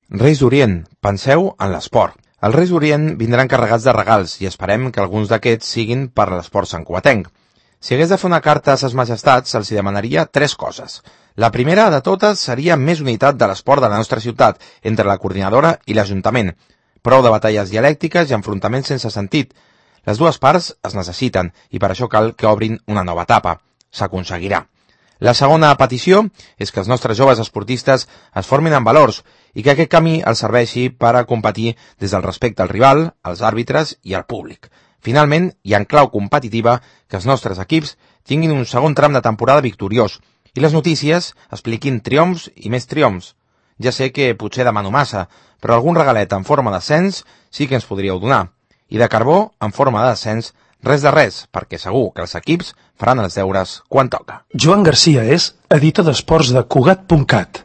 Reis d'Orient, penseu en l'esport. Els Reis d'Orient vindran carregats de regals i esperem que alguns d'aquests siguin per l'esport santcugatenc. Si hagués de fer una carta a ses majestats, els hi demanaria 3 coses. La primera de totes seria més unitat de l'esport de la nostra ciutat entre la coordinadora i l'Ajuntament. Prou de batalles dialèctiques i enfrontaments sense sentit. Les dues parts es necessiten i per això cal que obrin una nova etapa. S'aconseguirà. La segona petició és que els nostres joves esportistes es formin en valors i que aquest camí els serveixi per a competir des del respecte al rival, als àrbitres i al públic. Finalment, i en clau competitiva, que els nostres equips tinguin un segon tram de temporada victoriós i les notícies expliquin triomfs i més triomfs. Ja sé que potser demano massa, però algun regalet en forma d'ascens sí que ens podríeu donar. I de carbó, en forma de descens, res de res, perquè segur que els equips faran els deures quan toca. Joan Garcia és editor d'esports de Cugat.cat.